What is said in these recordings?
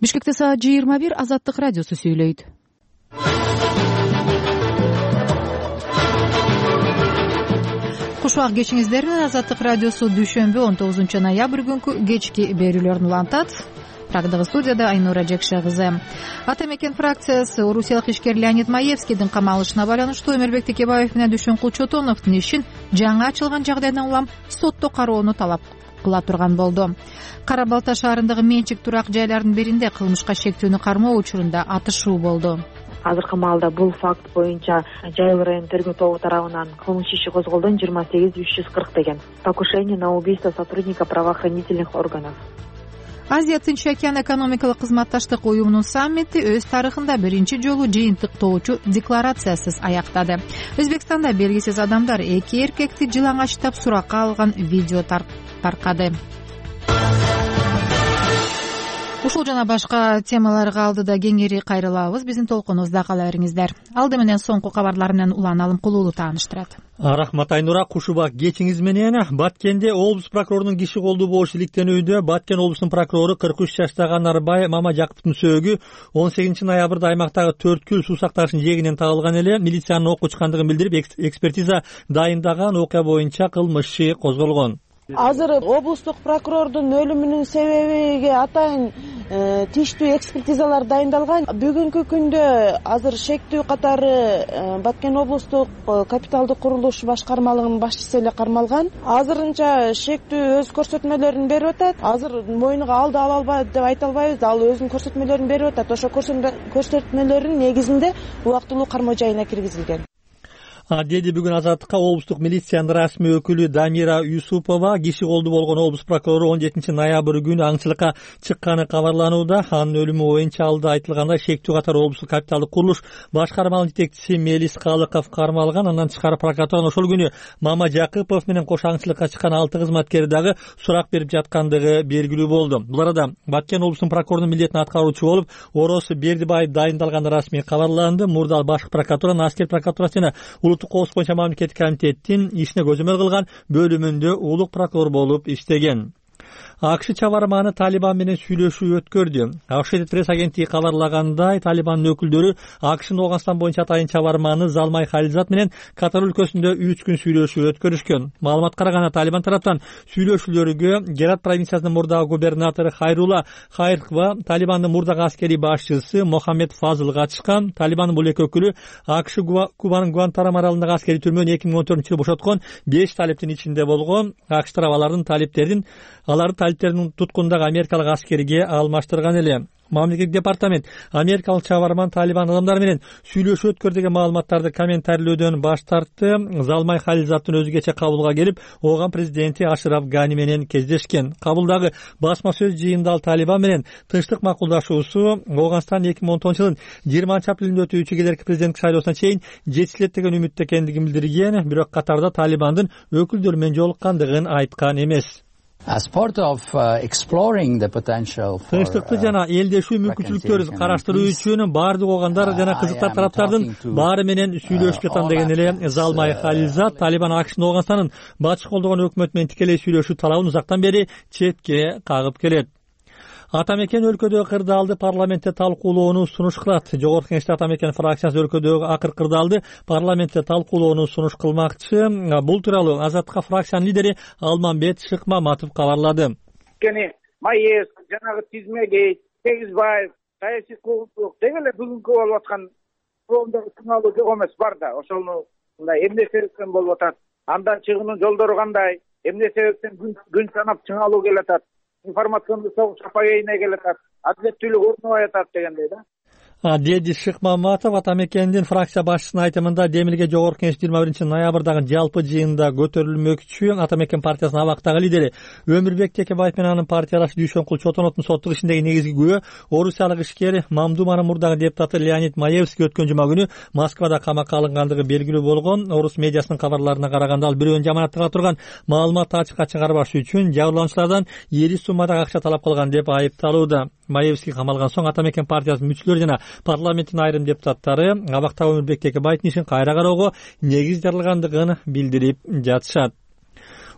Бишкекте саат 21 Азаттык радиосу сүйлөйт. Кушбак кечиңиздер менен Азаттык радиосу дүйшөмбү 19 ноябрь күнкү кечки берүүлөрүн улантат. Прагдагы студияда Айнура Жекше кызы. Ата мекен фракциясы орусиялык ишкер Леонид Маевскийдин камалышына байланыштуу Өмүрбек Текебаев менен Дүйшөнкул Чотоновдун ишин жаңы ачылган жагдайдан улам сотто кароону талап кыла турган болду. Кара Балта шаарындагы менчик турак жайлардын биринде кылмышка шектүүнү кармоо учурунда атышуу болду. Азыркы маалда бул факт боюнча Жайыл район тергөө тобу тарабынан кылмыш иши козголдон 28-340 деген. Покушение на убийство сотрудника правоохранительных органов. Азия Тынч океан экономикалык кызматташтык уюмунун саммити өз тарыхында биринчи жолу жыйынтыктоочу декларациясыз аяктады. Өзбекстанда белгисиз адамдар 2 эркекти жылаңачтап суракка алган видео таркады. Ушул жана башка темаларга алдыда кеңири кайрылабыз. Биздин толкунубузда кала бериңиздер. Алды менен соңку кабарлар менен Улан Алымкулуулу тааныштырат. Рахмат Айнура, Кушубак кечиңиз менен. Баткенде облус прокурорунун киши колдуу болушу иликтенүүдө Баткен облусунун прокурору 43 жаштагы Нарбай Мамажаковдун сөөгү 18 ноябрда аймактагы 4 күл суу сактагычтын жээгинен табылган эле милициянын ок учкандыгын билдирип, экспертиза дайындаган окуя боюнча кылмыш иши козголгон. Азыр облустук прокурордун өлүмүнүн себебиге атайын тийиштүү экспертизалар дайындалган. Бүгүнкү күндө азыр шектүү катары Баткен облустук капиталдык курулуш башкармалыгынын башчысы эле кармалган. Азырынча шектүү өз көрсөтмөлөрүн берип атат. Азыр мойнуга алды ала албайт деп айта албайбыз. Ал өзүнүн көрсөтмөлөрүн берип атат. Ошо көрсөтмөлөрдүн негизинде убактылуу кармоо жайына киргизилген. Деди бүгүн Азаттыкка облустук милициянын расмий өкүлү Дамира Юсупова. Киши колдуу болгон облус прокурору 17 ноябрь күнү аңчылыкка чыкканы кабарланууда. Анын өлүмү боюнча алда айтылгандай шектүү катары облустук капиталдык курулуш башкармалык жетекчиси Мелис Калыков кармалган. Андан тышкары прокуратуранын ошол күнү Мама Жакыпов менен кош аңчылыкка чыккан 6 кызматкери дагы сурак берип жаткандыгы белгилүү болду. Бул арада Баткен облусунун прокурорунун милдетин аткаруучу болуп Орос Бердибаев дайындалганы расмий кабарланды. Мурда башкы прокуратуранын аскер прокуратурасы жана улуттук коопсуздук боюнча мамлекеттик комитеттин ишине көзөмөл кылган бөлүмүндө улук прокурор болуп иштеген. АКШ чабарманы Талибан менен сүйлөшүү өткөрдү. Associated Press агенттиги кабарлагандай, Талибандын өкүлдөрү АКШнын Ооганстан боюнча атайын чабарманы Залмай Хализат менен Катар өлкөсүндө 3 күн сүйлөшүү өткөрүшкөн. Маалыматка караганда Талибан тараптан сүйлөшүүлөргө Герат провинциясынын мурдагы губернатору Хайрула Хайрква, Талибандын мурдагы аскерий башчысы Мохаммед Фазыл катышкан. Талибандын бул эки өкүлү АКШ Кубанын Гуантанамо аралындагы аскерий түрмөнү 2014-жылы бошоткон 5 талиптин ичинде болгон. АКШ тарабы аларды талиптердин туткундагы америкалык аскерге алмаштырган эле. Мамлекеттик департамент америкалык чабарман Талибан адамдары менен сүйлөшүү өткөрдү деген маалыматтарды комментарийлөөдөн баш тартты. Залмай Хализаттын өзгөчө кабулга келип, ооган президенти Ашраф Гани менен кездешкен. Кабулдагы басма сөз жыйында ал Талибан менен тынчтык макулдашуусу Ооганстан 2010-жылдын 20-апрелинде өтүүчү келерки президенттик шайлоосуна чейин жетишилет деген үмүттө экендигин билдирген. Бирок Катарда Талибандын өкүлдөрү менен жолуккандыгын айткан эмес. As part of exploring the potential for тынчтыкты жана элдешүү мүмкүнчүлүктөрүн караштыруу үчүн баардык огандар жана кызыктар тараптардын баары менен сүйлөшүп жатам деген эле Залмай Хализат. Талибан АКШнын Ооганстандын батыш колдогон өкмөтү менен тикелей сүйлөшүү талабын узактан бери четке кагып келет. Ата мекен өлкөдөгү кырдаалды парламентте талкуулоону сунуш кылат. Жогорку Кеңеште Ата мекен фракциясы өлкөдөгү акыр кырдаалды парламентте талкуулоону сунуш кылмакчы. Бул тууралуу Азаттыкка фракциянын лидери Алмамбет Шыкмаматов кабарлады. Маев, жанагы Тизмегей, Тегизбаев, саясий куугунчулук деги эле бүгүнкү болуп аткан коомдогу сыналуу жок эмес бар да. Ошону мындай эмне себептен болуп атат? Андан чыгуунун жолдору кандай? Эмне себептен күн санап чыңалуу келатат? Информационный согуш апагейине келатат, адилеттүүлүк орнобой атат дегендей да. Деди Шыкмаматов Ата мекендин фракция башчысынын айтымында Демилге Жогорку Кеңеш 21-ноябрдагы жалпы жыйында көтөрүлмөкчү. Ата мекен партиясынын абактагы лидери Өмүрбек Текебаев менен анын партиядашы Дүйшөнкул Чотоновдун соттук ишиндеги негизги күбө орусиялык ишкер Мамдуманын мурдагы депутаты Леонид Маевский өткөн жума күнү Москвада камакка алынгандыгы белгилүү болгон. Орус медиасынын кабарларына караганда ал бирөөнүн жаманаттыга турган маалыматты ачыкка чыгарбаш үчүн жабырлануучулардан ири суммадагы акча талап кылган деп айыпталууда. Маевский камалган соң Ата мекен партиясынын мүчөлөрү жана парламенттин айрым депутаттары абактагы Өмүрбек Текебаевдин ишин кайра кароого негиз жаралгандыгын билдирип жатышат.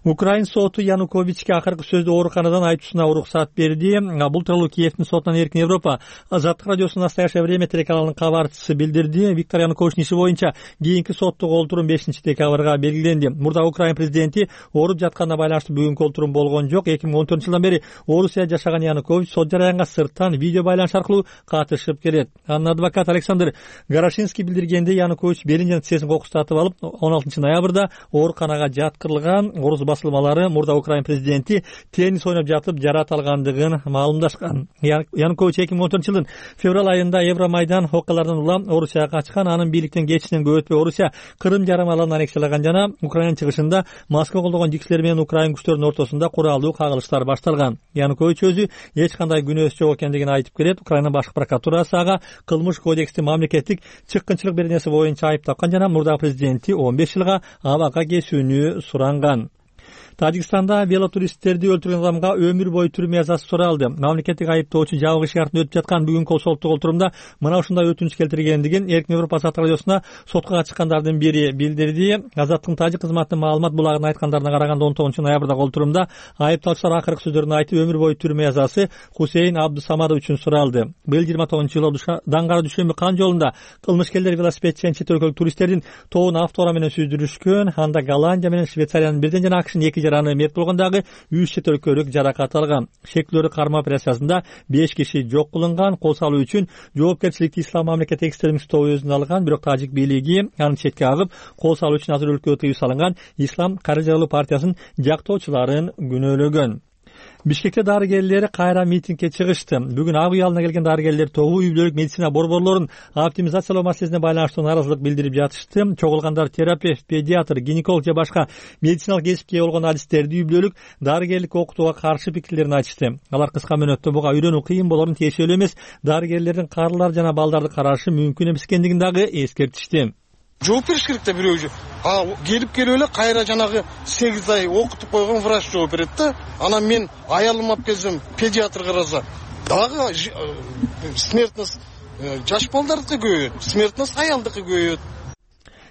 Украин соту Януковичке акыркы сөздү ооруканадан айтуусуна уруксат берди. Бул тууралуу Киевдин сотунан Эркин Европа Азаттык радиосунун «Настоящее время» телеканалынын кабарчысы билдирди. Виктор Януковичтин иши боюнча кийинки соттук олтурум 5-декабрга белгиленди. Мурда Украин президенти ооруп жатканына байланыштуу бүгүнкү олтурум болгон жок. 2014-жылдан бери Орусияда жашаган Янукович сот жараянга сырттан видео байланыш аркылуу катышып келет. Анын адвокаты Александр Горошинский билдиргендей, Янукович белин жана тизесин кокустатып алып 16-ноябрда ооруканага жаткырылган. Орус басылмалары мурда Украин президенти теннис ойноп жатып жарат алгандыгын маалымдашкан. Янукович 2014-жылдын февраль айында Евромайдан окуяларынан улам Орусияга качкан. Анын бийликтен кетишинен көп өтпөй Орусия Крым жарым аралын аннексиялаган жана Украина чыгышында Москва колдогон жиксилер менен Украин күчтөрүнүн ортосунда куралдуу кагылыштар башталган. Янукович өзү эч кандай күнөөсү жок экендигин айтып келет. Украина башкы прокуратурасы ага кылмыш кодекстин мамлекеттик чыккынчылык беренеси боюнча айып тапкан жана мурда президенти 15 жылга абакка кесүүнү суранган. Тажикстанда велотуристтерди өлтүргөн адамга өмүр бою түрмө жазасы суралды. Мамлекеттик айыптоочу жабык иши артында өтүп жаткан бүгүнкү соттук олтурумда мына ушундай өтүнүч келтиргендигин Эркин Европа Азаттык радиосуна сотко чыккандардын бири билдирди. Азаттыктын тажик кызматынын маалымат булагына айткандарына караганда 19-ноябрдагы олтурумда айыпталуучулар акыркы сөздөрүн айтып өмүр бою түрмө жазасы Хусейн Абдусамадов үчүн суралды. Быйыл 29-жылы Даңгара Дүйшөмбү кан жолунда кылмышкерлер велосипед менен чет өлкөлүк туристтердин тобун автоураа менен сүздүрүшкөн. Анда Голландия менен Швейцариянын бирден жана АКШнын 2 жараны мерт болгондагы 3 чет өлкөлүк жаракат алган. Шектүүлөрдү кармоо операциясында 5 киши жок кылынган. Кол салуу үчүн жоопкерчиликти Ислам мамлекети экстремист тобу өзүнө алган, бирок тажик бийлиги аны четке агып, кол салуу үчүн азыр өлкөгө тыюу салынган Ислам каржылуу партиясын жактоочуларын күнөөлөгөн. Бишкекте дарыгерлер кайра митингге чыгышты. Бүгүн ак үй алдына келген дарыгерлер тобу үй бүлөлүк медицина борборлорун оптимизациялоо маселесине байланыштуу нааразылык билдирип жатышты. Чогулгандар терапевт, педиатр, гинеколог же башка медициналык кесипке ээ болгон адистерди үй бүлөлүк дарыгерлик окутууга каршы пикирлерин айтышты. Алар кыска мөөнөттө буга үйрөнүү кыйын болорун, тиешелүү эмес, дарыгерлердин карылар жана балдарды карашы мүмкүн эмес экендигин дагы эскертишти. Жооп бериш керек да бирөө. Келип эле кайра жанагы 8 ай окутуп койгон врач жооп берет да. Анан мен аялым алып келсем, педиатр караса, дагы смертность жаш балдардыкы көбөйөт, смертность аялдыкы көбөйөт.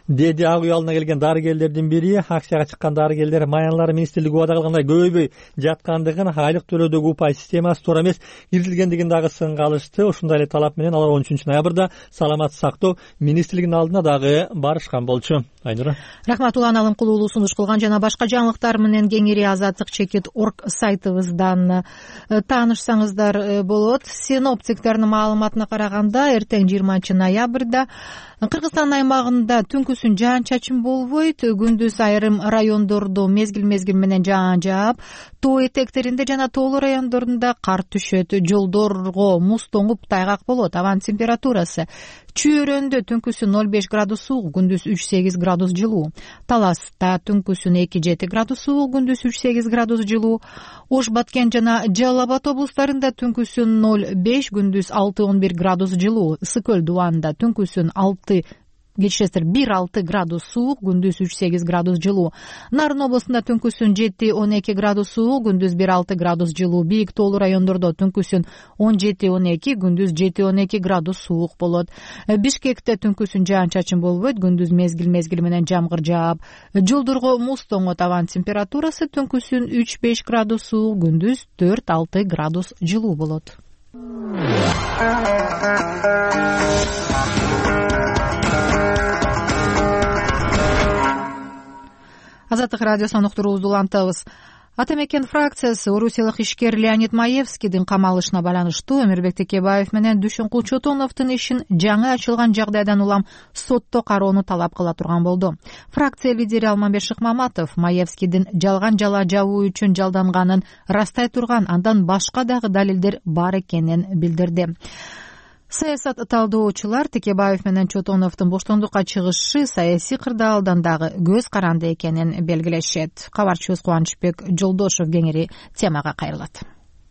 Деди ак үй алдына келген дарыгерлердин бири. Акцияга чыккан дарыгерлер Маянлар министрлиги убада кылгандай көбөйбөй жаткандыгын, айлык төлөөдөгү упай системасы туура эмес киргизилгендигин дагы сынга алышты. Ошондой эле талап менен алар 13-ноябрда саламат сактоо министрлигинин алдына дагы барышкан болчу. Айнура. Рахмат, Улан Алымкулуулу сунуш кылган жана башка жаңылыктар менен кеңири azatlik.org сайтыбыздан таанышсаңыздар болот. Синоптиктердин маалыматына караганда эртең 20-ноябрда Кыргызстан аймагында түнкүсүн жаан-чачын болбойт. Күндүз айрым райондордо мезгил менен жаан жаап, тоо этектеринде жана тоолуу райондорунда кар түшөт. Жолдорго муз тоңуп тайгак болот. Абанын температурасы Чүйөрөндө түнкүсүн 05 градус суук, күндүз 3-8 градус жылуу. Таласта түнкүсүн 2-7 градус суук, күндүз 3-8 градус жылуу. Ош, Баткен жана Жалал Абад облустарында түнкүсүн 0-5, күндүз 6-11 градус жылуу. Ысык Көл Дубанда түнкүсүн 1-6 градус суук, күндүз 3-8 градус жылуу. Нарын областында түнкүсүн 7-12 градус суук, күндүз 1-6 градус жылуу. Бийик тоолуу райондордо түнкүсүн 17-12, күндүз 7-12 градус суук болот. Бишкекте түнкүсүн жаан-чачын болбойт, күндүз мезгил менен жамгыр жаап, жолдорго муз тоңот. Абанын температурасы түнкүсүн 3-5 градус суук, күндүз 4-6 градус жылуу болот. Азаттык радиосунун уктуруубузду улантабыз. Атамекен фракциясы орусиялык ишкер Леонид Маевскийдин камалышына байланыштуу Эмирбек Текебаев менен Дүйшөнкул Чотоновдун ишин жаңы ачылган жагдайдан улам сотто кароону талап кыла турган болду. Фракция лидери Алмамбет Шыкмаматов Маевскийдин жалган жала жабуу үчүн жалданганын растай турган, андан башка дагы далилдер бар экенин билдирди. Саясат талдоочулар Текебаев менен Чотоновдун боштондукка чыгышы саясий кырдаалдан дагы көз каранды экенин белгилешет. Кабарчыбыз Кубанычбек Жолдошев кеңири темага кайрылат.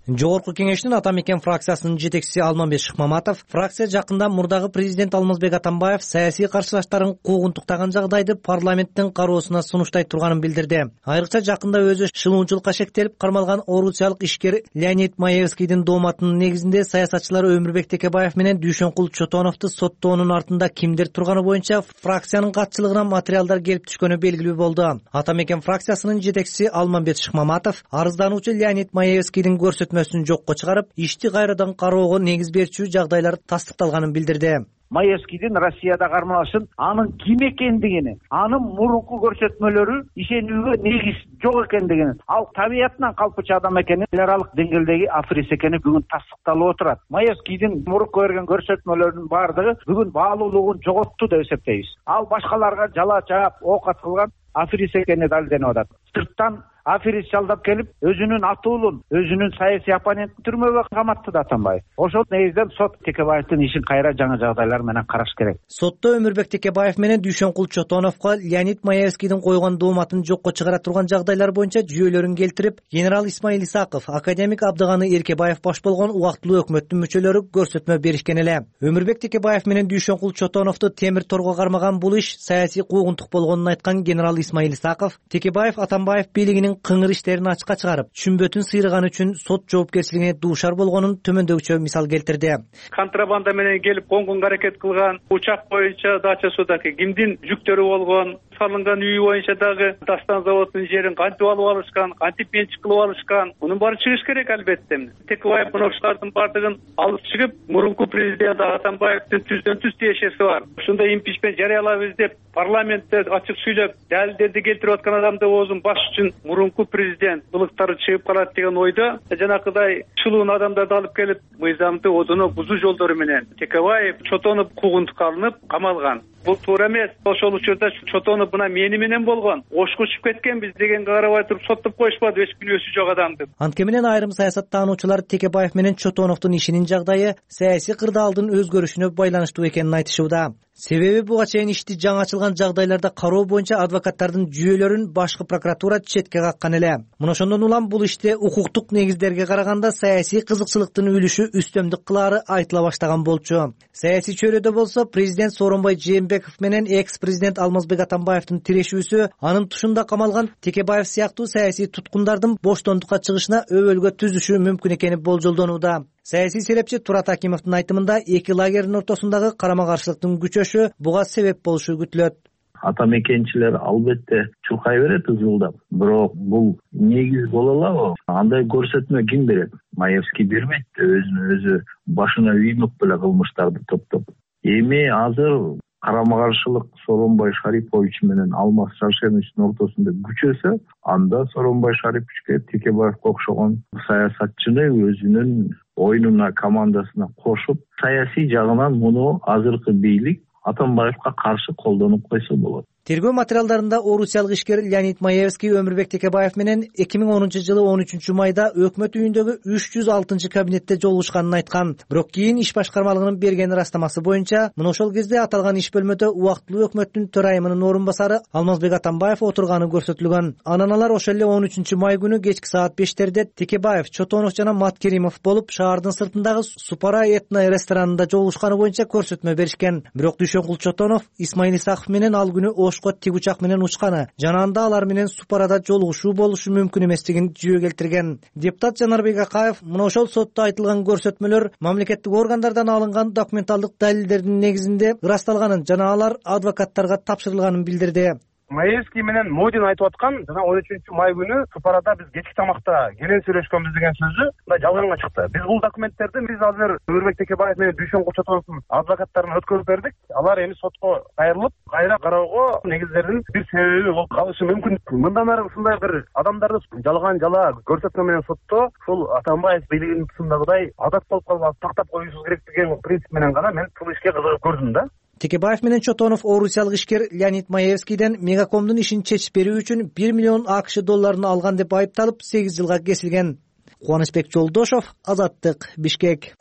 Жогорку кеңештин Ата Мекен фракциясынын жетекчиси Алмамбет Шыкмаматов фракция жакында мурдагы президент Алмазбек Атамбаев саясий каршылаштарын куугунтуктаган жагдайды парламенттин кароосуна сунуштай турганын билдирди. Айрыкча жакында өзү шылуунчулукка шектелип кармалган орусиялык ишкер Леонид Маевскийдин дооматынын негизинде саясатчылар Өмүрбек Текебаев менен Дүйшөнкул Чотоновду соттоонун артында кимдир турганы боюнча фракциянын катчылыгына материалдар келип түшкөнү белгилүү болду. Ата Мекен фракциясынын жетекчиси Алмамбет Шыкмаматов арыздануучу Леонид Маевскийдин көрсөтмөсүн жокко чыгарып, ишти кайрадан кароого негиз берчү жагдайлар тастыкталганын билдирди. Маевскийдин Россияда кармалышын, анын ким экендигини, анын мурунку көрсөтмөлөрү ишенүүгө негиз жок экендигини, ал табиятынан калпычы адам экени, эл аралык деңгээлдеги аферист экени бүгүн тастыкталып отурат. Маевскийдин мурунку берген көрсөтмөлөрүнүн баардыгы бүгүн баалуулугун жоготту деп эсептейбиз. Ал башкаларга жала чаап ок аткылган аферист экени далилденип атат. Сырттан аферист жалдап келип, өзүнүн атуулун, өзүнүн саясий оппонентин түрмөгө каматты да Атамбаев. Ошол негизден сот Текебаевдин ишин кайра жаңы жагдайлар менен караш керек. Сотто Өмүрбек Текебаев менен Дүйшөнкул Чотоновго Леонид Маевскийдин койгон дооматын жокко чыгара турган жагдайлар боюнча жүйөлөрүн келтирип, генерал Исмаил Исаков, академик Абдыганы Эркебаев баш болгон убактылуу өкмөттүн мүчөлөрү көрсөтмө беришкен эле. Өмүрбек Текебаев менен Дүйшөнкул Чотоновду темир торго кармаган бул иш саясий куугунтук болгонун айткан генерал Исмаил Исаков, Текебаев Атамбаев бийлигинин кыңыр иштерин ачыкка чыгарып, түшүнбөтүн сыйрыган үчүн сот жоопкерчилигине дуушар болгонун төмөндөгүчө мисал келтирди. Контрабанда менен келип конгонго аракет кылган, учак боюнча дачасындагы кимдин жүктөрү болгон, салынган үй боюнча дагы Дастан заводунун жерин кантип алып алышкан, кантип менчик кылып алышкан, мунун баары чыгыш керек албетте. Текебаев ошолордун баардыгын алып чыгып, мурунку президент Атамбаевдин түздөн түз тиешеси бар. Ушундай импичмент жарыялабыз деп парламентте ачык сүйлөп, далилдерди келтирип аткан адамды оозун баш үчүн мурунку президент былыктары чыгып калат деген ойдо, жанакыдай чулуун адамдарды алып келип, мыйзамды одоно бузуу жолдору менен Текебаев Чотонов куугунтукка алынып камалган. Бул туура эмес. Ошол учурда Чотонов мына мени менен болгон, ошко учуп кеткенбиз дегенге карабай туруп соттоп коюшпады эч күнөөсү жок адамды. Анткени менен айрым саясаттануучулар Текебаев менен Чотоновдун ишинин жагдайы саясий кырдаалдын өзгөрүшүнө байланыштуу экенин айтышууда. Себеби буга чейин ишти жаңы ачылган жагдайларда кароо боюнча адвокаттардын жүйөлөрүн башкы прокуратура четке каккан эле. Мына ошондон улам бул иште укуктук негиздерге караганда саясий кызыкчылыктын үлүшү үстөмдүк кылаары айтыла баштаган болчу. Саясий чөйрөдө болсо президент Сооронбай Жээнбеков менен экс-президент Алмазбек Атамбаевдин тирешүүсү, анын тушунда камалган Текебаев сыяктуу саясий туткундардын боштондукка чыгышына өбөлгө түзүшү мүмкүн экени болжолдонууда. Саясий серепчи Турат Акимовдун айтымында эки лагердин ортосундагы карама-каршылыктын күчөшү буга себеп болушу күтүлөт. Ата мекенчилер албетте чуркай берет ызгылдап, бирок бул негиз боло алабы? Андай көрсөтмө ким берет? Маевский бербейт, өзүнө-өзү башына үймөк беле кылмыштарды топтоп. Эми азыр карама-каршылык Сооронбай Шарипович менен Алмаз Шаршеновичтин ортосунда күчөсө, анда Сооронбай Шариповичке Текебаевге окшогон саясатчыны өзүнүн оюнуна, командасына кошуп, саясий жагынан муну азыркы бийлик Атамбаевка каршы колдонуп койсо болот. Тергөө материалдарында орусиялык ишкер Леонид Маевский Өмүрбек Текебаев менен 2010-жылы 13 майда өкмөт үйүндөгү 306 кабинетте жолугушканын айткан. Бирок кийин иш башкармалыгынын берген ырастамасы боюнча, мына ошол кезде аталган иш бөлмөдө убактылуу өкмөттүн төрайымынын орун басары Алмазбек Атамбаев отурганы көрсөтүлгөн. Анан алар ошол эле 13 май күнү кечки саат 5-терде Текебаев, Чотонов жана Маткеримов болуп шаардын сыртындагы Супара этно ресторанында жолугушканы боюнча көрсөтмө беришкен. Бирок Дүйшөнкул Чотонов Исмаил Исаков менен ал күнү тиг учак менен учканы жана анда алар менен Супарада жолугушуу болушу мүмкүн эместигин жүйө келтирген. Депутат Жанарбек Акаев мына ошол сотто айтылган көрсөтмөлөр мамлекеттик органдардан алынган документалдык далилдердин негизинде ырасталганын жана алар адвокаттарга тапшырылганын билдирди. Маевский менен Модин айтып аткан жана 13 май күнү Супарада биз кечки тамакта келин сүйлөшкөнбүз деген сөзү мындай жалганга чыкты. Биз бул документтерди азыр Өмүрбек Текебаев менен Дүйшөнкул Чотоновдун адвокаттарына өткөрүп бердик. Алар эми сотко кайрылып, кайра кароого негиздердин бир себеби болуп калышы мүмкүн. Мындан ары ушундай бир адамдарды жалган жала көрсөтмө менен сотто ушул Атамбаев бийлигинин тушундагыдай адат болуп калбасын, тактап коюшубуз керек деген принцип менен гана мен бул ишке кызыгып көрдүм да. Текебаев менен Чотонов орусиялык ишкер Леонид Маевскийден Мегакомдун ишин чечип берүү үчүн 1 миллион АКШ долларын алган деп айыпталып 8 жылга кесилген. Кубанычбек Жолдошов, Азаттык, Бишкек.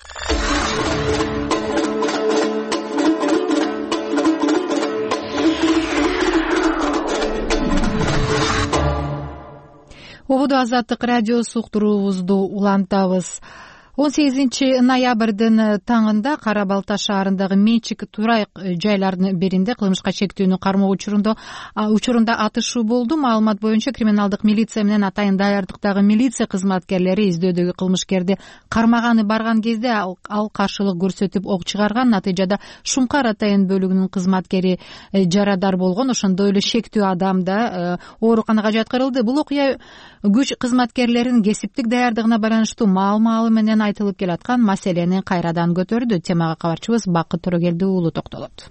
ободо Азаттык радиосу уктуруубузду улантабыз. 18 ноябрдын таңында Кара Балта шаарындагы Менчик Турай жайларынын биринде кылмышка чектүүнү кармоо учурунда атышуу болду. Маалымат боюнча криминалдык милиция менен атайын даярдыктагы милиция кызматкерлери издөдөгү кылмышкерди кармаганы барган кезде ал каршылык көрсөтүп ок чыгарган. Натыйжада Шумкар атайын бөлүгүнүн кызматкери жарадар болгон. Ошондой эле шектүү адам да ооруканага жаткырылды. Бул окуя күч кызматкерлеринин кесиптик даярдыгына байланыштуу маал-маалы менен айтылып келаткан маселени кайрадан көтөрдү. Темага кабарчыбыз Бакыт Төрөгелди уулу токтолот.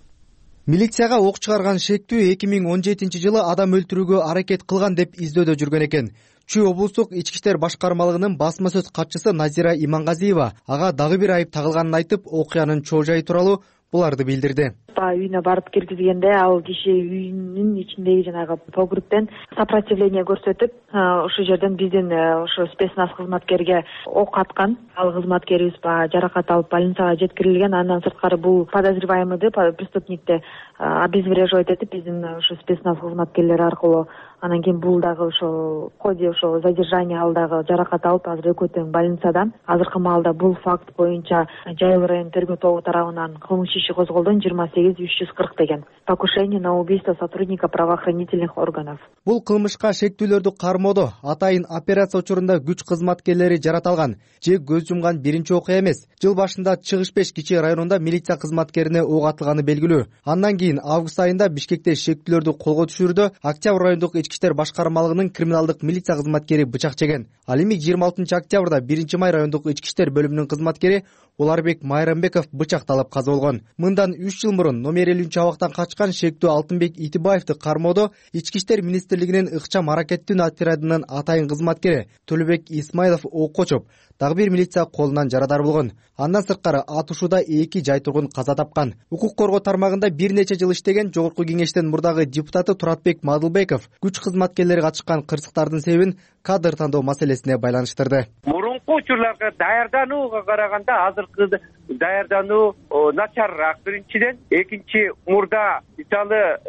Милицияга ок чыгарган шектүү 2017 жылы адам өлтүрүүгө аракет кылган деп издөөдө жүргөн экен. Чүй облустук ички иштер башкармалыгынын басма сөз катчысы Назира Имангазиева ага дагы бир айып тагылганын айтып, окуянын чоо жайы тууралуу буларды билдирди. Үйүнө барып киргизгенде ал киши үйүнүн ичиндеги жанагы погребтен сопротивление көрсөтүп, ошол жерден биздин ошо спецназ кызматкерге ок аткан. Ал кызматкерибиз жаракат алып больницага жеткирилген. Андан сырткары бул подозреваемыйды преступникти обезвреживать этип биздин ошо спецназ кызматкерлери аркылуу анан кийин бул дагы ошо в ходе ошо задержание ал дагы жаракат алып азыр экөө тең больницада. Азыркы маалда бул факт боюнча Жайыл район тергөө тобу тарабынан кылмыш иши козголду 28-340 деген. Покушение на убийство сотрудника правоохранительных органов. Бул кылмышка шектүүлөрдү кармоодо атайын операция учурунда күч кызматкерлери жараталган же көз жумган биринчи окуя эмес. Жыл башында Чыгыш Беш кичи районунда милиция кызматкерине ок атылганы белгилүү. Андан кийин август айында Бишкекте шектүүлөрдү колго түшүрүүдө Октябрь райондук ички иштер башкармалыгынын криминалдык милиция кызматкери бычак жеген. Ал эми 26 октябрда 1 май райондук ички иштер бөлүмүнүн кызматкери Уларбек Майрамбеков бычакталып каза болгон. Мындан 3 жыл мурун номер 50 абактан качкан шектүү Алтынбек Итибаевди кармоодо ички иштер министрлигинин ыкчам аракеттүү отрядынын атайын кызматкери Төлөбек Исмайлов окко чоп, дагы бир милиция колунан жарадар болгон. Андан сырткары атышууда 2 жай тургун каза тапкан. Укук коргоо тармагында бир нече жыл иштеген Жогорку кеңештин мурдагы депутаты Туратбек Мадылбеков күч кызматкерлери катышкан кырсыктардын себебин кадр тандоо маселесине байланыштырды. Мурунку учурларга даярданууга караганда азыркы даярдануу начарыраак биринчиден. Экинчи, мурда мисалы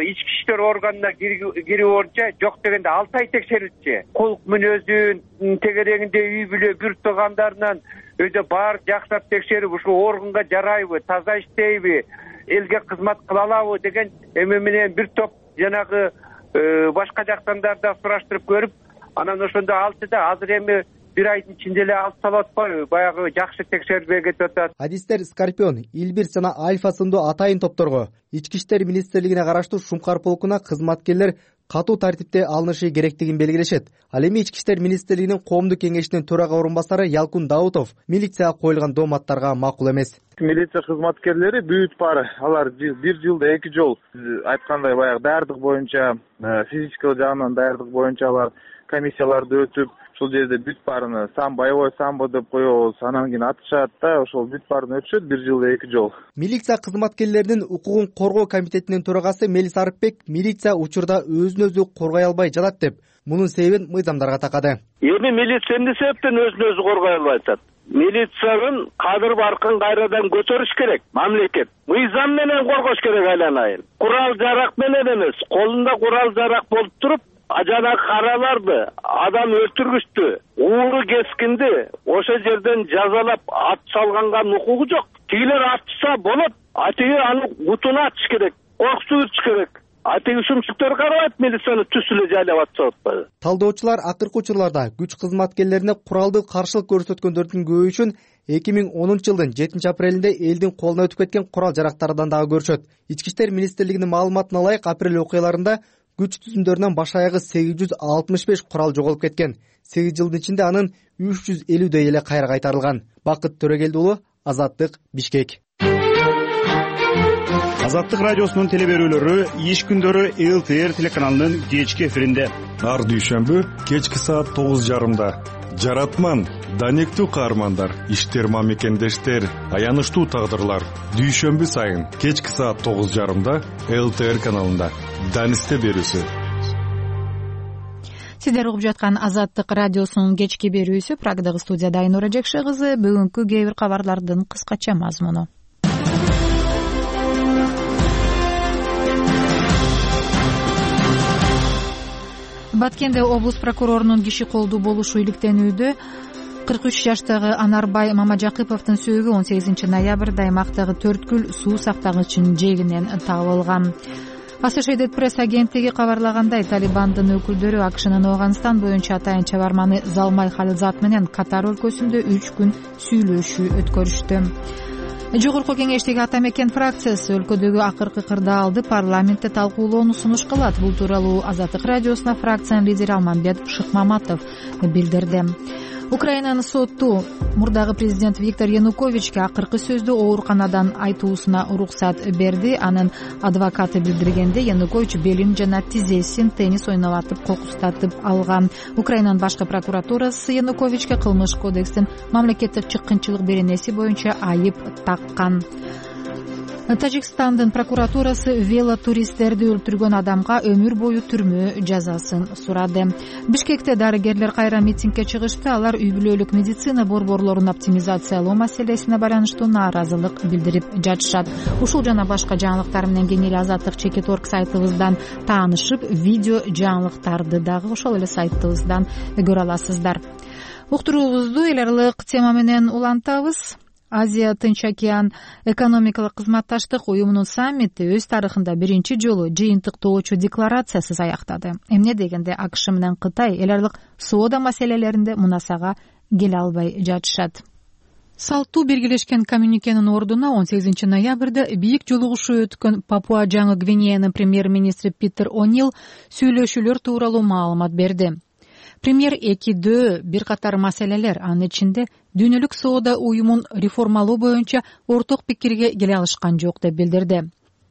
ички иштер органына кирүү боюнча жок дегенде 6 ай текшерилчү. Кулк мүнөзүн тегерегинде үй бүлө бүрт туугандарынан өйдө баары жакшыртып текшерип, ушул органга жарайбы, таза иштейби, элге кызмат кыла алабы деген эме менен бир топ жанагы башка жактандар да сураштырып көрүп, анан ошондо алтыда азыр эми бир айдын ичинде эле алып салып атпайбы, баягы жакшы текшербей кетип атат. Адистер Скорпион, Илбир жана Альфа сындуу атайын топторго ички иштер министрлигине караштуу Шумкар полкуна кызматкерлер катуу тартипте алынышы керектигин белгилешет. Ал эми ички иштер министрлигинин коомдук кеңешинин төрага орун басары Ялкун Даутов милицияга коюлган дооматтарга макул эмес. Милиция кызматкерлери бүт баары алар бир жылда 2 жол айткандай баягы даярдык боюнча, физический жагынан даярдык боюнча алар комиссияларды өтүп, ушул жерде бүт баарыны боевой самбо деп коебуз, анан кийин атышат да, ошол бүт баарын өтүшөт бир жылда 2 жол. Милиция кызматкерлеринин укугун коргоо комитетинин төрагасы Мелис Арыпбек милиция учурда өзүн өзү коргой албай жатат деп, мунун себебин мыйзамдарга такады. Эми милиция эмне себептен өзүн өзү коргой албай атат? Милициянын кадыр баркын кайрадан көтөрүш керек. Мамлекет мыйзам менен коргош керек айланайын. Курал жарак менен эмес, колунда курал жарак болуп туруп, жанагы караларды адам өлтүргүчтү, ууру кескинди ошол жерден жазалап ат салганга укугу жок. Тигилер атса болот, атыгы аны бутуна атыш керек, коркутуш керек. Атыгы шумчуктар карабайт, милицияны түз эле жайлап атса атпайбы. Талдоочулар акыркы учурларда күч кызматкерлерине куралдуу каршылык көрсөткөндөрдүн көбөйүшүн 2010 жылдын 7 апрелинде элдин колуна өтүп кеткен курал жарактардан дагы көрүшөт. Ички иштер министрлигинин маалыматына ылайык апрель окуяларында күч түзүмдөрүнөн баш аягы 865 курал жоголуп кеткен. 8 жылдын ичинде анын 350дөй эле кайра кайтарылган. Бакыт Төрөгелди уулу, Азаттык, Бишкек. Азаттык радиосунун телеберүүлөрү иш күндөрү ЛТР телеканалынын кечки эфиринде. Ар дүйшөмбү кечки саат 9:30. Жаратман, данектүү каармандар, иштерма мекендештер, аянычтуу тагдырлар. Дүйшөмбү сайын кечки саат 9:30 ЛТР каналында. Данисте берүүсү. Сиздер угуп жаткан Азаттык радиосунун кечки берүүсү. Прагдагы студияда Айнура Жекше кызы. Бүгүнкү кээ бир кабарлардын кыскача мазмуну. Баткенде облус прокурорунун киши колдуу болушу иликтенүүдө 43 жаштагы Анарбай Мамажакыповдун сөөгү 18 ноябрда аймактагы Төрткүл суу сактагычынын жээгинен табылган. Associated Press агенттиги кабарлагандай, Талибандын өкүлдөрү АКШнын Афганистан боюнча атайын чабарманы Залмай Халилзат менен Катар өлкөсүндө 3 күн сүйлөшүү өткөрүштү. Жогорку кеңештеги Ата Мекен фракциясы өлкөдөгү акыркы кырдаалды парламентте талкуулоону сунуш кылат. Бул тууралуу Азаттык радиосуна фракциянын лидери Алмамбет Шыкмаматов билдирди. Украинанын соту мурдагы президент Виктор Януковичке акыркы сөздү ооруканадан айтуусуна уруксат берди. Анын адвокаты билдиргенде, Янукович белин жана тизесин теннис ойнолатып кокустатып алган. Украинанын башкы прокуратурасы Януковичке кылмыш кодекстин мамлекеттик чыккынчылык беренеси боюнча айып таккан. Тажикстандын прокуратурасы велотуристтерди өлтүргөн адамга өмүр бою түрмө жазасын сурады. Бишкекте дарыгерлер кайра митингге чыгышты. Алар үй бүлөлүк медицина борборлорун оптимизациялоо маселесине байланыштуу нааразылык билдирип жатышат. Ушул жана башка жаңылыктар менен кеңири Азаттык.org сайтыбыздан таанышып, видео жаңылыктарды дагы ошол эле сайтыбыздан көрө аласыздар. Уктуруубузду эл аралык тема менен улантабыз. Азия Тынч океан экономикалык кызматташтык уюмунун саммити өз тарыхында биринчи жолу жыйынтыктоочу декларациясыз аяктады. Эмне дегенде АКШ менен Кытай эл аралык соода маселелеринде мунасага келе албай жатышат. Салттуу бергилешкен коммюникенин ордуна 18 ноябрда бийик жолугушуу өткөн Папуа Жаңы Гвинеянын премьер-министри Питер О'Нил сүйлөшүүлөр тууралуу маалымат берди. Премьер 2 бир катар маселелер, анын ичинде дүйнөлүк соода уюмун реформалоо боюнча орток пикирге келе алышкан жок деп билдирди.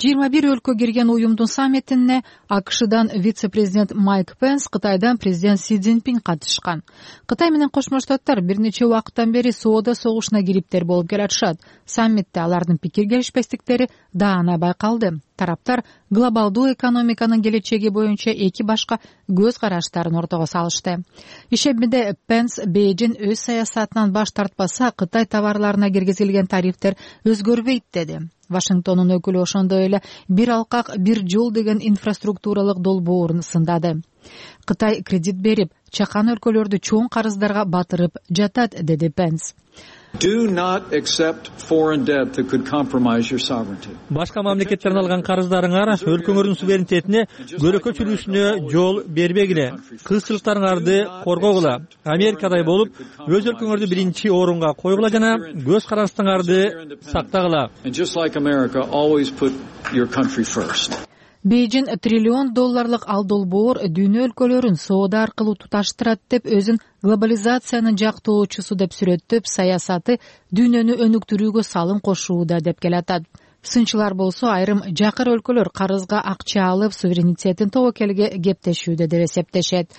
21 өлкө кирген уюмдун саммитине АКШдан вице-президент Майк Пенс, Кытайдан президент Си Цзиньпин катышкан. Кытай менен Кошмо Штаттар бир нече убакыттан бери соода согушуна кириптер болуп келатышат. Саммитте алардын пикир келишпестиктери даана байкалды. Тараптар глобалдуу экономиканын келечеги боюнча эки башка көз караштарын ортого салышты. Ишемиде Пенс Бейжин өз саясатынан баш тартпаса, Кытай товарларына киргизилген тарифтер өзгөрбөйт деди. Вашингтондун өкүлү ошондой эле бир алкак, бир жол деген инфраструктуралык долбоорун сындады. Кытай кредит берип, чакан өлкөлөрдү чоң карыздарга батырып жатат, деди Пенс. Башка мамлекеттерден алган карыздарыңар өлкөңөрдүн суверенитетине, көрөкөчүлүшүнө жол бербегиле. Кызчылыктарыңарды коргогула. Америкадай болуп, өз өлкөңөрдү биринчи орунга койгула жана көз караштарыңарды сактагыла. Бейжин $1 триллион ал долбоор дүйнө өлкөлөрүн соода аркылуу туташтырат деп өзүн глобализациянын жактоочусу деп сүрөттөп, саясаты дүйнөнү өнүктүрүүгө салым кошууда деп келатат. Сынчылар болсо айрым жакыр өлкөлөр карызга акча алып, суверенитетин тобокелге кептешүүдө деп эсептешет.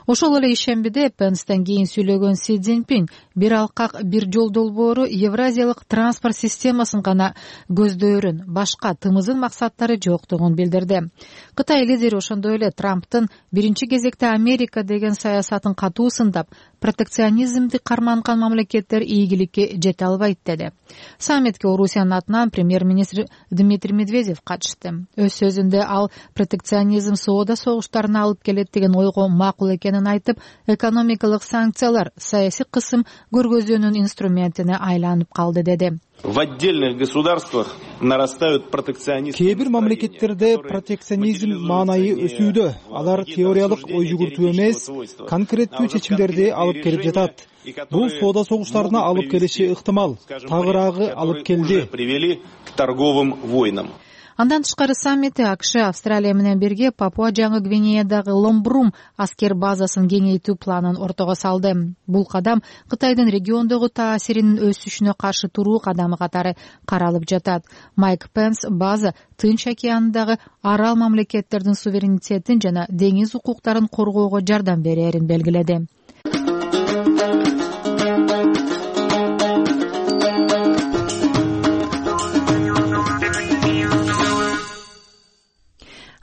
Ошол эле ишембиде Пенстен кийин сүйлөгөн Си Цзиньпин бир алкак, бир жол долбоору евразиялык транспорт системасын гана көздөөрүн, башка тымызын максаттары жоктугун билдирди. Кытай лидери ошондой эле Трамптын биринчи кезекте Америка деген саясатын катуу сындап, протекционизмди карманган мамлекеттер ийгиликке жете албайт деди. Саммитке Орусиянын атынан премьер-министр Дмитрий Медведев катышты. Өз сөзүндө ал протекционизм соода согуштарына алып келет деген ойго макул экенин айтып, экономикалык санкциялар саясий кысым көргөзүүнүн инструментине айланып калды деди. В отдельных государствах нарастают протекционизм. Кээ бир мамлекеттерде протекционизм маанайы өсүүдө. Алар теориялык ой жүгүртүү эмес, конкреттүү чечимдерди алып келип жатат. Бул соода согуштарына алып келиши ыктымал. Тагыраагы алып келди. Привели к торговым войнам. Андан тышкары саммитте АКШ Австралия менен бирге Папуа Жаңы Гвинеядагы Ломбрум аскер базасын кеңейтүү планын ортого салды. Бул кадам Кытайдын региондогу таасиринин өсүшүнө каршы туруу кадамы катары каралып жатат. Майк Пенс база Тынч океанындагы арал мамлекеттердин суверенитетин жана деңиз укуктарын коргоого жардам берерин белгиледи.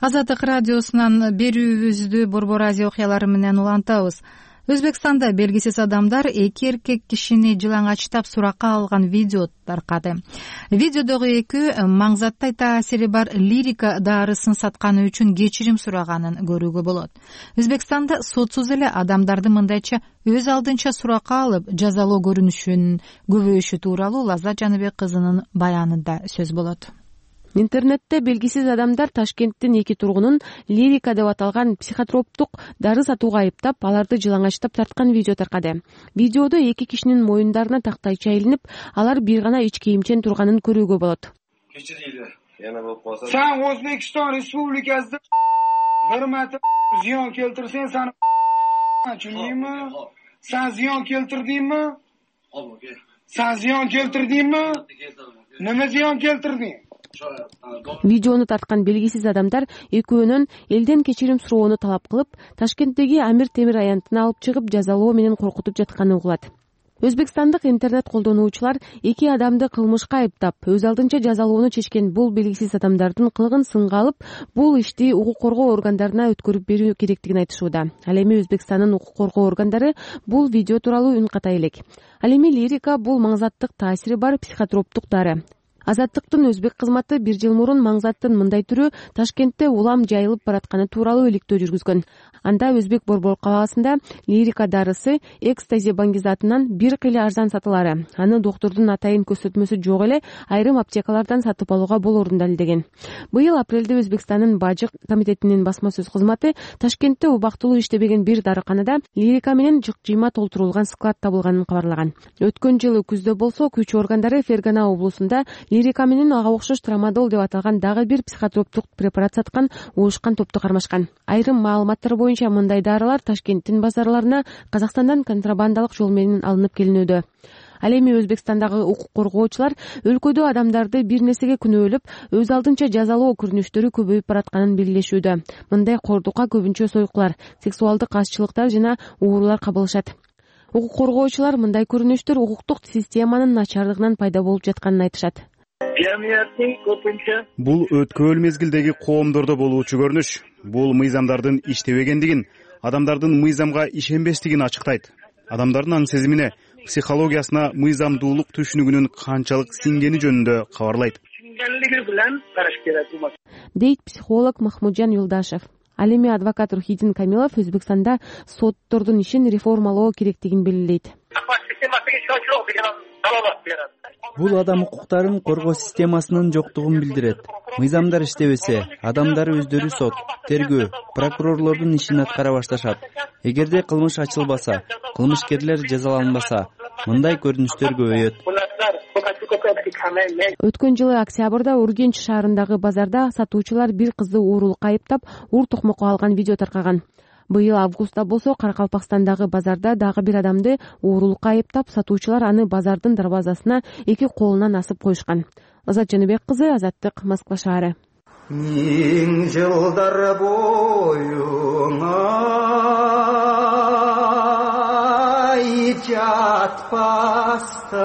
Азаттык радиосунан берүүбүздү Борбор Азия окуялары менен улантабыз. Өзбекстанда белгисиз адамдар 2 эркек кишини жылаңачтап суракка алган видео таркады. Видеодогу экөө маңзаттай таасири бар лирика дарысын сатканы үчүн кечирим сураганын көрүүгө болот. Өзбекстанда сотсуз эле адамдарды мындайча өз алдынча суракка алып жазалоо көрүнүшүнүн көбөйүшү тууралуу Лаззат Жаныбек кызынын баянында сөз болот. Интернетте белгисиз адамдар Ташкенттин 2 тургунун лирика деп аталган психотроптук дары сатууга айыптап, аларды жылаңачтап тарткан видео таркады. Видеодо 2 кишинин моюндарына тактайча илинип, алар бир гана ич кийимчен турганын көрүүгө болот. Sen O'zbekiston Respublikasida bir marta ziyon keltirsang, seni tushundingmi? Sen ziyon keltirdingmi? Sen ziyon keltirdingmi? Nima ziyon keltirding? Видеону тарткан белгисиз адамдар экөөнөн элден кечирим суроону талап кылып, Ташкенттеги Амир Темир аянтына алып чыгып, жазалоо менен коркутуп жатканы угулат. Өзбекстандык интернет колдонуучулар 2 адамды кылмышка айыптап, өз алдынча жазалоону чечкен бул белгисиз адамдардын кылыгын сынга алып, бул ишти укук коргоо органдарына өткөрүп берүү керектигин айтышууда. Ал эми Өзбекстандын укук коргоо органдары бул видео тууралуу үн ката элек. Ал эми лирика бул маңзаттык таасири бар психотроптук дары. Азаттыктын өзбек кызматы 1 жыл мурун маңзаттын мындай түрү Ташкентте улам жайылып баратканы тууралуу иликтөө жүргүзгөн. Анда Өзбек Борбор кабагасында лирика дарысы экстази баңгизатынан бир кыйла арзан сатылары. Аны доктурдун атайын көрсөтмөсү жок эле айрым аптекалардан сатып алууга болоорун далилдеген. Быйыл апрелде Өзбекстандын бажык комитетинин басма сөз кызматы Ташкентте убактылуу иштебеген бир дарыканада лирика менен жык-жыйма толтурулган склад табылганын кабарлаган. Өткөн жылы күздө болсо күч органдары Фергана облусунда лирика менен ага окшош трамадол деп аталган дагы бир психотроптук препарат саткан уушкан топту кармашкан. Айрым маалыматтар боюнча мындай дарылар Ташкенттин базарларына Казакстандан контрабандалык жол менен алынып келинүүдө. Ал эми Өзбекстандагы укук коргоочулар өлкөдө адамдарды бир нерсеге күнөөлөп, өз алдынча жазалоо көрүнүштөрү көбөйүп баратканын белгилешүүдө. Мындай кордукка көбүнчө сойкулар, сексуалдык азчылыктар жана уурулар кабылышат. Укук коргоочулар мындай көрүнүштөр укуктук системанын начарлыгынан пайда болуп жатканын айтышат. Бул өткөөл мезгилдеги коомдордо болуучу көрүнүш. Бул мыйзамдардын иштебегендигин, адамдардын мыйзамга ишенбестигин ачыктайт. Адамдардын аң сезимине, психологиясына мыйзамдуулук түшүнүгүнүн канчалык сиңгени жөнүндө кабарлайт. Дейт психолог Махмуджан Юлдашев. Ал эми адвокат Рухидин Камилов Өзбекстанда соттордун ишин реформалоо керектигин белгилейт. Бул адам укуктарын коргоо системасынын жоктугун билдирет. Мыйзамдар иштебесе, адамдар өздөрү сот, тергөө, прокурорлордун ишин аткара башташат. Эгерде кылмыш ачылбаса, кылмышкерлер жазаланбаса, мындай көрүнүштөр көбөйөт. Өткөн жылы октябрда Ургенч шаарындагы базарда сатуучулар бир кызды уурулукка айыптап, ур токмокко алган видео таркаган. Быйыл августта болсо Каракалпакстандагы базарда дагы бир адамды уурулукка айыптап, сатуучулар аны базардын дарбазасына 2 колунан асып коюшкан. Лаззат Жаныбек кызы, Азаттык, Москва шаары. Миң жылдар боюңа жатпаста.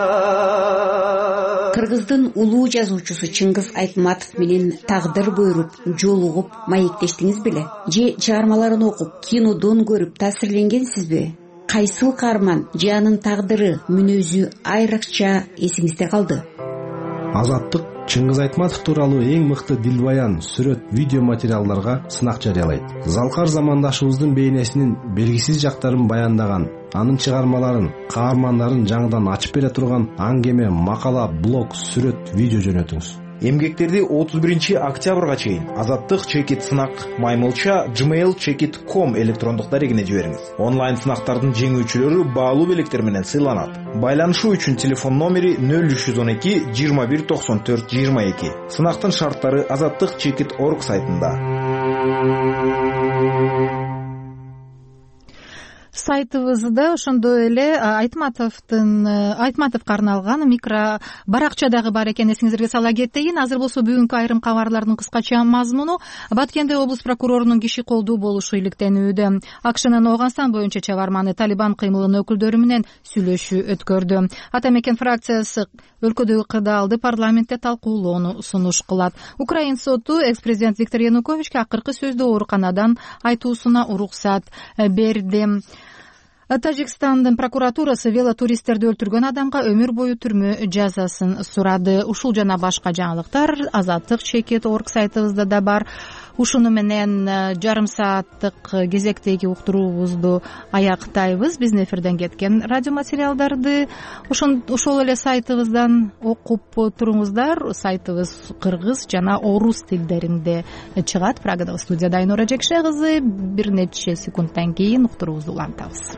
Кыргыздын улуу жазуучусу Чыңгыз Айтматов менен тагдыр буйруп, жолугуп, маектештиңиз беле? Же чыгармаларын окуп, кинодон көрүп таасирленгенсизби? Кайсыл каарман же анын тагдыры, мүнөзү айрыкча эсиңизде калды? Азаттык Чыңгыз Айтматов тууралуу эң мыкты дилбаян, сүрөт, видео материалдарга сынак жарыялайт. Залкар замандашыбыздын бейнесинин белгисиз жактарын баяндаган, анын чыгармаларын, каармандарын жаңыдан ачып бере турган аңгеме, макала, блог, сүрөт, видео жөнөтүңүз. Эмгектерди 31 октябрга чейин Азаттык чекит сынак маймылча gmail.com электрондук дарегине жибериңиз. Онлайн сынактардын жеңүүчүлөрү баалуу белектер менен сыйланат. Байланышуу үчүн телефон номери 0312 21 94 22. Сынактын шарттары azattikchekit.org сайтында. Сайтыбызда ошондой эле Айтматовго арналган микро баракчадагы бар экен, эсиңизерге сала кетейин. Азыр болсо бүгүнкү айрым кабарлардын кыскача мазмуну: Баткенде облус прокурорунун киши колдуу болушу иликтенүүдө. АКШнын Ооганстан боюнча чыгарманы Талибан кыймылынын өкүлдөрү менен сүйлөшүү өткөрдү. Ата мекен фракциясы өлкөдөгү кырдаалды парламентте талкуулоону сунуш кылат. Украин соту экс-президент Виктор Януковичке акыркы сөздү ооруканадан айтуусуна уруксат берди. Тажикстандын прокуратурасы велотуристтерди өлтүргөн адамга өмүр бою түрмө жазасын сурады. Ушул жана башка жаңылыктар Азаттык чекит орг сайтыбызда да бар. Ушуну менен жарым сааттык кезектеги уктуруубузду аяктайбыз. Биздин эфирден кеткен радио материалдарды ошол эле сайтыбыздан окуп туруңуздар. Сайтыбыз кыргыз жана орус тилдеринде чыгат. Прагадагы студияда Айнура Жекше кызы. Бир нече секундтан кийин уктуруубузду улантабыз.